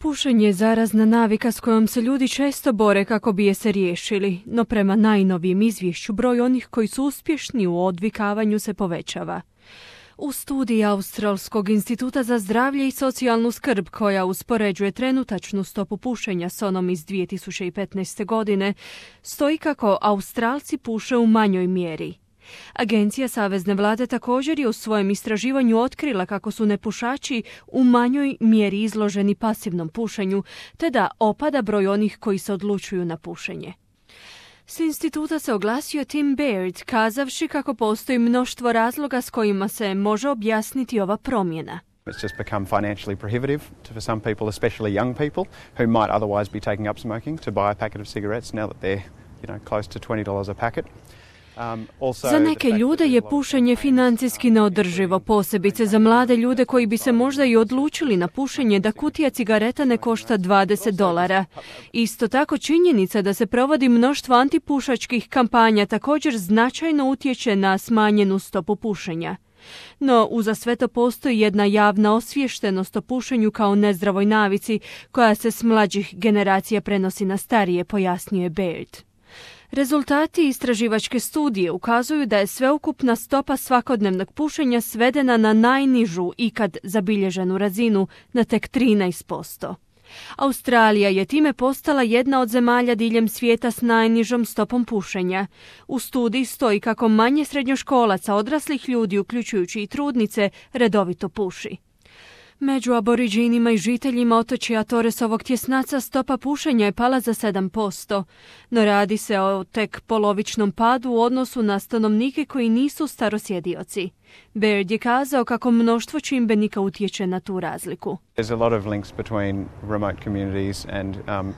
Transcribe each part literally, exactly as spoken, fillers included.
Pušenje je zarazna navika s kojom se ljudi često bore kako bi je se riješili, no prema najnovijem izvješću broj onih koji su uspješni u odvikavanju se povećava. U studiji Australskog instituta za zdravlje i socijalnu skrb, koja uspoređuje trenutačnu stopu pušenja s onom iz dvije tisuće petnaeste. godine, stoji kako Australci puše u manjoj mjeri. Agencija Savezne vlade također je u svojem istraživanju otkrila kako su nepušači u manjoj mjeri izloženi pasivnom pušenju, te da opada broj onih koji se odlučuju na pušenje. S instituta se oglasio Tim Baird, kazavši kako postoji mnoštvo razloga s kojima se može objasniti ova promjena. It's just become financially prohibitive for some people, especially young people, who might otherwise be taking up smoking, to buy a packet of cigarettes now that they're, you know, close to twenty dollars a packet. Za neke ljude je pušenje financijski neodrživo, posebice za mlade ljude koji bi se možda i odlučili na pušenje da kutija cigareta ne košta dvadeset dolara. Isto tako činjenica da se provodi mnoštvo antipušačkih kampanja također značajno utječe na smanjenu stopu pušenja. No, uza sve to postoji jedna javna osviještenost o pušenju kao nezdravoj navici koja se s mlađih generacija prenosi na starije, pojasnjuje Baird. Rezultati istraživačke studije ukazuju da je sveukupna stopa svakodnevnog pušenja svedena na najnižu ikad zabilježenu razinu, na tek trinaest posto. Australija je time postala jedna od zemalja diljem svijeta s najnižom stopom pušenja. U studiji stoji kako manje srednjoškolaca, odraslih ljudi, uključujući i trudnice, redovito puši. Među aboriđinima i žiteljima otočja Torresovog tjesnaca stopa pušenja je pala za sedam posto, no radi se o tek polovičnom padu u odnosu na stanovnike koji nisu starosjedioci. Baird je kazao kako mnoštvo čimbenika utječe na tu razliku. There's a lot of links between remote communities and um,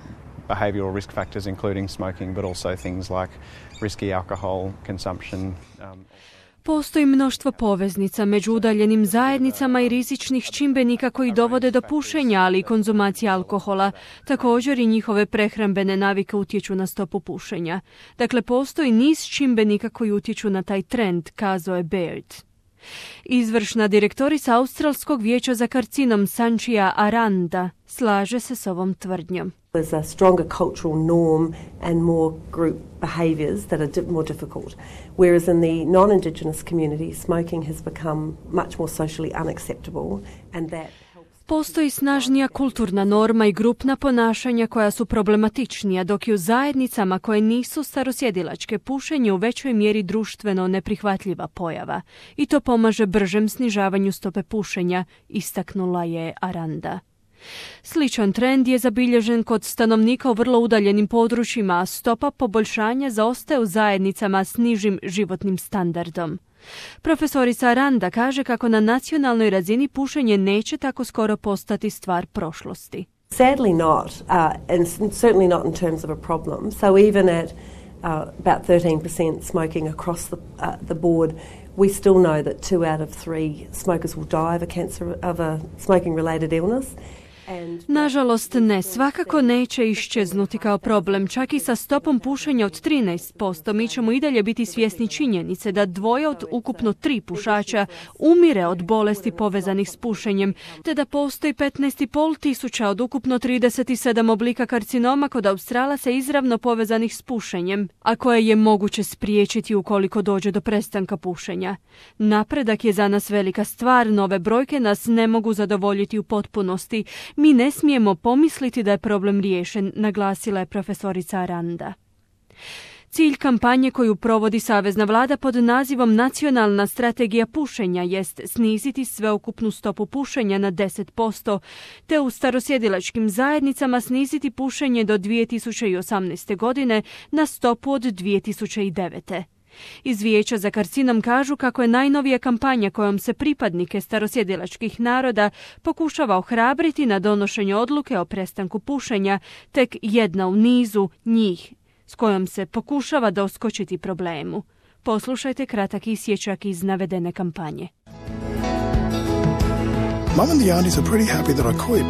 behavioral risk factors, including smoking, but also things like risky alcohol consumption. Um, Postoji mnoštvo poveznica među udaljenim zajednicama i rizičnih čimbenika koji dovode do pušenja, ali i konzumacije alkohola. Također i njihove prehrambene navike utječu na stopu pušenja. Dakle, postoji niz čimbenika koji utječu na taj trend, kazao je Baird. Izvršna direktorica Australskog vijeća za karcinom Sanchia Aranda slaže se s ovom tvrdnjom. There's a stronger cultural norm and more group behaviours that are di- more difficult. Whereas in the non-Indigenous community, smoking has become much more socially unacceptable, and that Postoji snažnija kulturna norma i grupna ponašanja koja su problematičnija, dok je u zajednicama koje nisu starosjedilačke pušenje u većoj mjeri društveno neprihvatljiva pojava. I to pomaže bržem snižavanju stope pušenja, istaknula je Aranda. Sličan trend je zabilježen kod stanovnika u vrlo udaljenim područjima, a stopa poboljšanja zaostaje u zajednicama s nižim životnim standardom. Profesorica Aranda kaže kako na nacionalnoj razini pušenje neće tako skoro postati stvar prošlosti. Sadly not, uh, and certainly not in terms of a problem. So even at uh, about thirteen percent smoking across the, uh, the board, we still know that two out of three smokers will die of a cancer of a smoking-related illness. Nažalost ne, svakako neće iščeznuti kao problem, čak i sa stopom pušenja od trinaest posto. Mi ćemo i dalje biti svjesni činjenice da dvoje od ukupno tri pušača umire od bolesti povezanih s pušenjem, te da postoji petnaest i pol tisuća od ukupno trideset sedam oblika karcinoma kod Australaca izravno povezanih s pušenjem, a koje je moguće spriječiti ukoliko dođe do prestanka pušenja. Napredak je za nas velika stvar, nove brojke nas ne mogu zadovoljiti u potpunosti. Mi ne smijemo pomisliti da je problem riješen, naglasila je profesorica Aranda. Cilj kampanje koju provodi Savezna vlada pod nazivom Nacionalna strategija pušenja jest sniziti sveukupnu stopu pušenja na deset posto, te u starosjedilačkim zajednicama sniziti pušenje do dvije tisuće osamnaeste. godine na stopu od dvije tisuće devete. Iz Vijeća za karcinom kažu kako je najnovija kampanja kojom se pripadnike starosjedilačkih naroda pokušava ohrabriti na donošenje odluke o prestanku pušenja, tek jedna u nizu njih s kojom se pokušava doskočiti problemu. Poslušajte kratak isječak iz navedene kampanje. Mum and the aunties are pretty happy that I quit.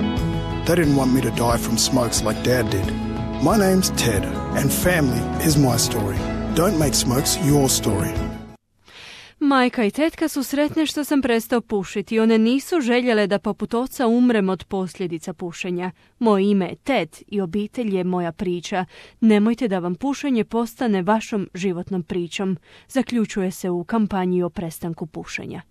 They didn't want me to die from smokes like Dad did. My name's Ted, and family is my story. Don't make smokes your story. majka i tetka su sretne što sam prestao pušiti. One nisu željele da poput oca umrem od posljedica pušenja. Moje ime je Ted i obitelj je moja priča. Nemojte da vam pušenje postane vašom životnom pričom. Zaključuje se u kampanji o prestanku pušenja.